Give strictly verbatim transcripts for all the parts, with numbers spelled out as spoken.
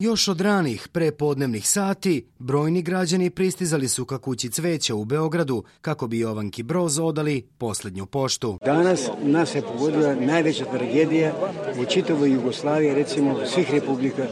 Još od ranih prepodnevnih sati brojni građani pristizali su ka kući Cveća u Beogradu kako bi Jovanki Broz odali posljednju poštu. Danas nas je pogodila najveća tragedija u čitavoj Jugoslaviji, recimo svih republika.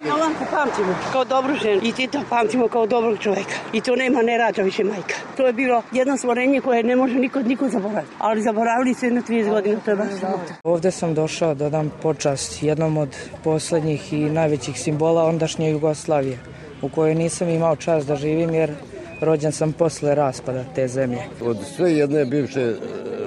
Jovanku pamtimo kao dobru ženu i Tita pamtimo kao dobrog čovjeka. I to nema, ne rađa više majka. To je bilo jedno stvorenje koje ne može niko, niko zaboraviti. Ali zaboravili su jedno trideset godina, to je baš sramota. Ovdje sam došao da dam počast jednom od posljednjih i najvećih simbola ondašnje Jugoslavije, u kojoj nisam imao čast da živim jer rođen sam posle raspada te zemlje. Od sve jedne bivše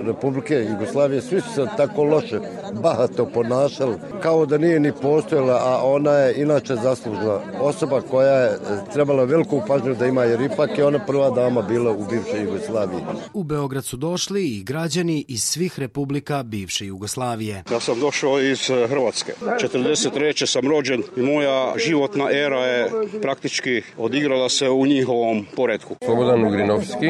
Republike Jugoslavije svi su se tako loše, bahato ponašali, kao da nije ni postojala, a ona je inače zaslužna osoba koja je trebala veliku pažnju da ima, jer ipak je ona prva dama bila u bivšoj Jugoslaviji. U Beograd su došli i građani iz svih republika bivše Jugoslavije. Ja sam došao iz Hrvatske. četrdeset treće sam rođen i moja životna era je praktički odigrala se u njihovom poretku. Slobodan Ugrinovski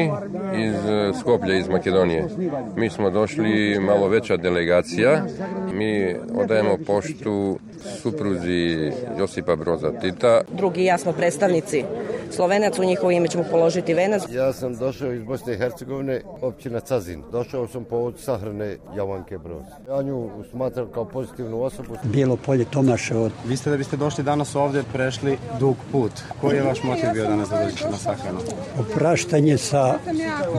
iz Skoplja, iz Makedonije. Mi smo došli, malo veća delegacija. Mi odajemo poštu supruzi Josipa Broza Tita. Drugi i ja smo predstavnici Slovenac, u njihovo ime ćemo položiti venac. Ja sam došao iz Bosne i Hercegovine, općina Cazin. Došao sam povod sahrane Jovanke Broz. Ja nju smatram kao pozitivnu osobu. Bijelo polje Tomaše od... Vi ste da biste došli danas ovdje prešli dug put. Koji je vaš motiv bio danas da dođete na sahranu? Opraštanje sa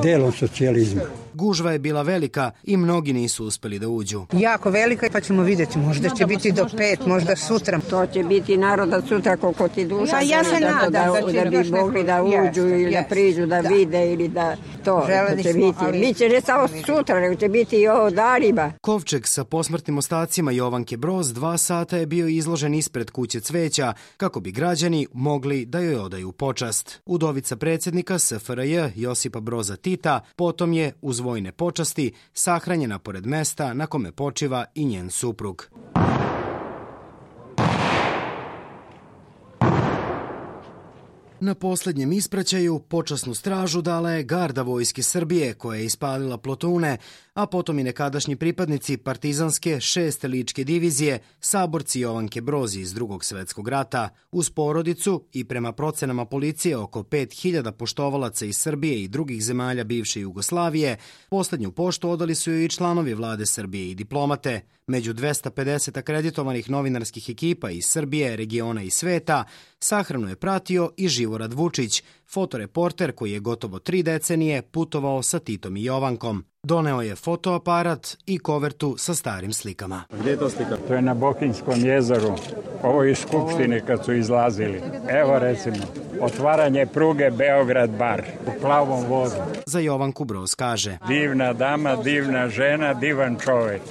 delom socijalizma. Gužva je bila velika i mnogi nisu uspeli da uđu. Jako velika, pa ćemo vidjeti. Možda će biti do pet, možda sutra. To će biti naroda sutra koliko ti duša. Ja, ja se nadam da, da, da, da bi mogli da uđu yes, ili yes, da priđu, da, da vide ili da to Želeli će smo, biti. Ali... Biće ne samo sutra, nego će biti i ovo danima. Kovčeg sa posmrtnim ostacima Jovanke Broz dva sata je bio izložen ispred kuće Cveća kako bi građani mogli da joj odaju počast. Udovica predsjednika S F R J Josipa Broza Tita potom je uz vojne počasti sahranjena pored mesta na kome počiva i njen suprug. Na posljednjem ispraćaju počasnu stražu dala je garda vojske Srbije koja je ispalila plotune, a potom i nekadašnji pripadnici partizanske šeste ličke divizije, saborci Jovanke Broz iz Drugog svjetskog rata. Uz porodicu i prema procenama policije oko pet hiljada poštovalaca iz Srbije i drugih zemalja bivše Jugoslavije, posljednju poštu odali su joj i članovi vlade Srbije i diplomate. Među dvesta pedeset akreditovanih novinarskih ekipa iz Srbije, regiona i sveta, sahranu je pratio i Živorad Vučić, fotoreporter koji je gotovo tri decenije putovao sa Titom i Jovankom. Doneo je fotoaparat i kovertu sa starim slikama. Gdje je to slika? To je na Bokinskom jezeru. Ovo je iz Skupštine kad su izlazili. Evo recimo, otvaranje pruge Beograd-Bar u plavom vodu. Za Jovanku Broz kaže: divna dama, divna žena, divan čovjek.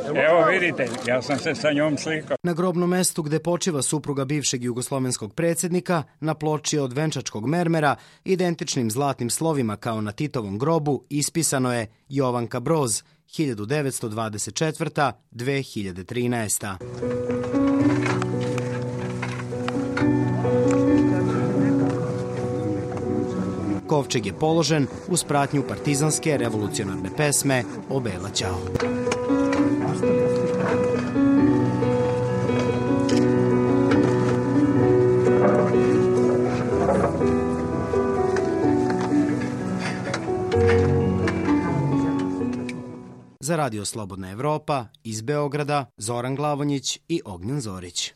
Evo vidite, ja sam se sa njom slikao. Na grobnom mestu gde počiva supruga bivšeg jugoslovenskog predsjednika, na ploči od venčačkog mermera, identičnim zlatnim slovima kao na Titovom grobu, ispisano je Jovanka Broz, hiljadu devetsto dvadeset četvrta do dve hiljade trinaesta. Kovčeg je položen uz pratnju partizanske revolucionarne pesme O Bela Ćao. Za Radio Slobodna Evropa iz Beograda Zoran Glavonjić i Ognjen Zorić.